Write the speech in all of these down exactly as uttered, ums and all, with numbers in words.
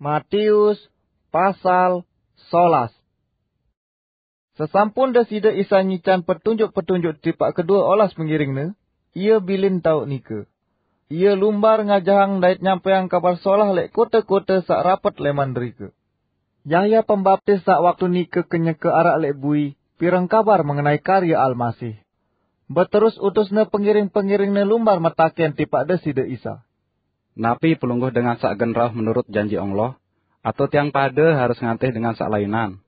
Matius pasal solas. Sesampun Deside Isa nyican petunjuk-petunjuk tipaq kedue olas pengiringne, Ie bilin taoq nike. Ie lumbar ngajahang dait nyampaiang Kabar Solah leq kote-kote saq rapet leman derike. Yahya Pembaptis saq waktu nike kenyeke araq leq bui, pireng kabar mengenai karye Almasih. Beterus utusne pengiring-pengiringne lumbar metaken tipaq Deside Isa, "Napi pelungguh dengan saq gen rauh menurut janji Allah? Atao tiang pade harus ngantih dengan saq lainan?"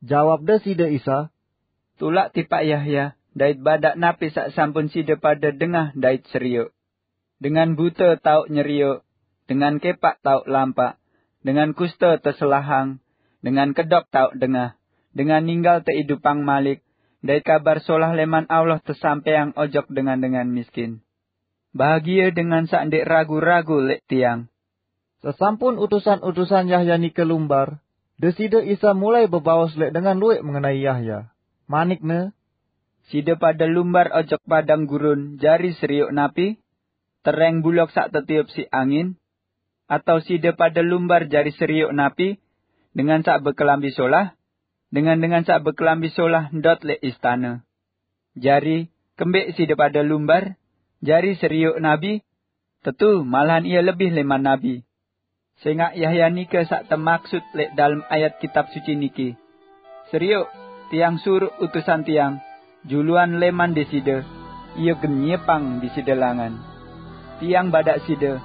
Jawab Deside Isa, "Tulak tipaq Yahya, dait badaq napi saq sampun side pade dengah dait serioq. Dengan bute taoq nyerioq, dengan kepaq taoq lampaq, dengan kuste teselahang, dengan kedok taoq dengah, dengan ninggal teidupang malik, dait Kabar Solah leman Allah tesampaiang ojok dengan-dengan miskin. Bahagie dengan saq ndeq ragu-ragu leq Tiang." Sesampun utusan-utusan Yahya nike lumbar, Deside Isa mulai bebaos leq dengan lueq mengenai Yahya. Manik-Ne, "Side pade lumbar ojok padang gurun jari serioq napi? Tereng bulok saq tetiup siq angin? Atao side pade lumbar jari serioq napi? Dengan saq bekelambi solah? Dengan-dengan saq bekelambi solah ndot leq istane. Jari, kembeq side pade lumbar? Jari serioq nabi? Tetu, malahan ie lebih leman nabi. Sengaq Yahya nike saq temaksut leq dalem ayat Kitab Suci niki, 'Serioq, Tiang suruq utusan Tiang, juluan leman Deside, ie gen nyiepang Deside langan.' Tiang badaq side,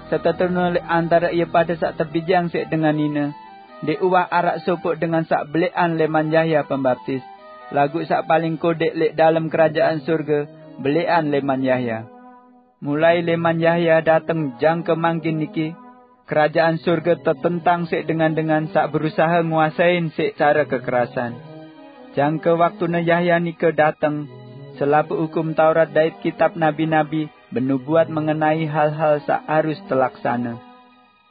setetune leq antare ie pade saq tebijeang siq dengan nine, ndeq uwah araq sopoq dengan saq beleqan leman Yahya Pembaptis, laguq saq paling kodeq leq dalem Kerajaan Sorge beleqan leman Yahya. Mulai leman Yahya dateng jangke mangkin niki, Kerajaan Sorge tetentang siq dengan-dengan saq berusahe nguasein siq care kekerasan. Jangke waktune Yahya nike dateng, selapuq Hukum Taurat dait kitab nabi-nabi benubuat mengenai hal-hal saq harus telaksane.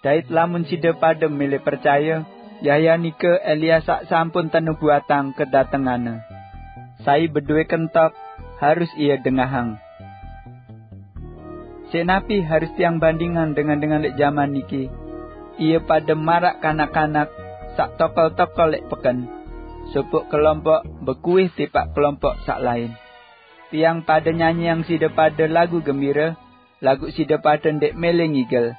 Dait lamun side pade mele percaye, Yahya nike Elia saq sampun tenubuatang kedatenganne. Sai bedowe kentok, harus ie dengahang. Siq napi harus tiang bandingang dengan-dengan leq jaman niki? Ie pade maraq kanak-kanak saq tokol-tokol leq peken. Sopoq kelompok bekuih tipaq kelompok saq lain. Tiang pade nyanyiang side pade lagu gembire, laguq side pade ndeq mele ngigel.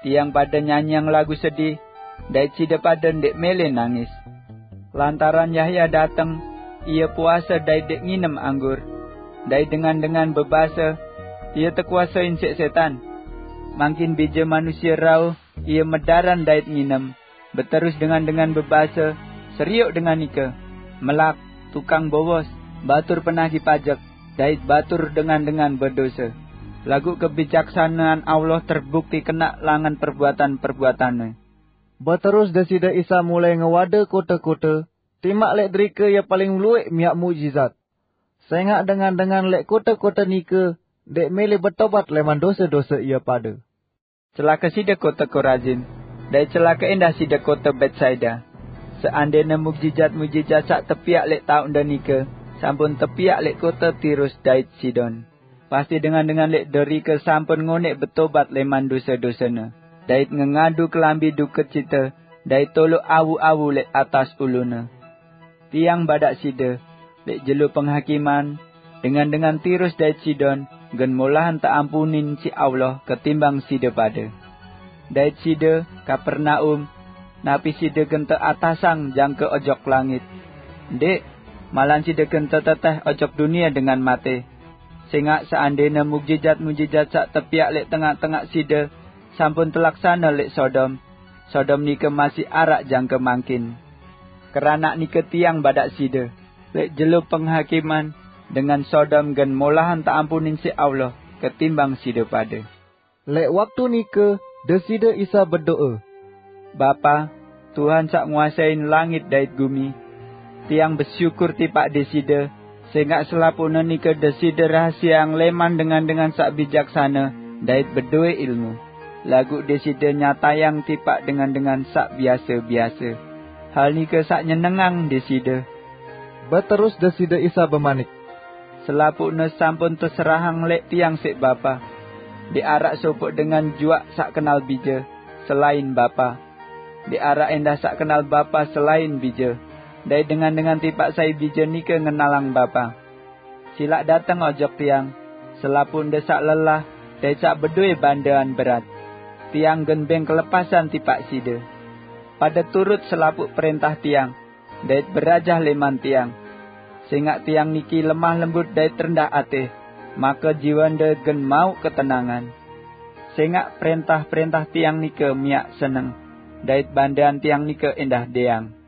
Tiang pade nyanyiang lagu sedih, dait side pade ndeq mele nangis. Lantaran Yahya dateng, ie puase dait ndeq nginem anggur, dait dengan-dengan bebase, 'Ie tekuasein siq setan.' Mangkin Bije Manusie rauh, ie medaran dait nginem, beterus dengan-dengan bebase, 'Serioq dengan nike, melak, tukang bowos, batur penagih pajek, dait batur dengan-dengan bedose.' Laguq kebijaksanean Allah terbukti kenaq langan perbuatan-perbuatanne." Beterus Deside Isa mulai ngewade kote-kote, timaq leq derike Ie paling lueq miaq mukjizat. Sengaq dengan-dengan leq kote-kote nike ndeq mele betobat leman dose-dose ie pade. "Celake side kote Korazin, dait celake endah side kote Betsaida! Seandene mukjizat-mukjizat saq tepiaq leq taoqde nike sampun tepiaq leq kote Tirus dait Sidon, pasti dengan-dengan leq derike sampun ngoneq betobat leman dose-dosene, dait ngengadu kelambi dukecite dait toloq awu-awu leq atas ulune. Tiang badaq side, leq jelo penghakiman, dengan-dengan Tirus dait Sidon gen molahan teampunin siq Allah ketimbang side pade. Dait side, Kapernaum, napi side gen teatasang jangke ojok langit? Ndeq, malahan side gen teteteh ojok dunie dengan mate. Sengaq seandene mukjizat-mukjizat saq tepiaq leq tengaq-tengaq side sampun telaksane leq Sodom, Sodom nike masih araq jangke mangkin. Keranaq nike Tiang badaq side, leq jelo penghakiman, dengan Sodom gen molahan teampunin siq Allah ketimbang side pade." Leq waktu nike Deside Isa bedoe, "Bapa, Tuhan saq nguasein langit dait gumi, Tiang besyukur tipaq Deside, sengaq selapuqne nike Deside rahasiang leman dengan-dengan saq bijaksane dait bedowe ilmu, laguq Deside nyatayang tipaq dengan-dengan saq biase-biase hal nike saq nyenengang Deside." Beterus Deside Isa bemanik, "Selapuqne sampun teserahang leq Tiang siq Bapa. Ndeq araq sopoq dengan juaq saq kenal Bije, selain Bapa. Ndeq araq endah saq kenal Bapa selain Bije, dait dengan-dengan tipaq sai Bije nike ngenalang Bapa. Silaq dateng ojok Tiang, selapuq nde saq lelah dait saq bedowe bandean berat. Tiang gen beng kelepasan tipaq side. Pade turut selapuq prentah Tiang, dait berajah leman Tiang. Sengaq Tiang niki lemah lembut dait rendah ateh, make jiwande gen mauq ketenangan. Sengaq prentah-prentah Tiang nike miaq seneng, dait bandean Tiang nike endah deang.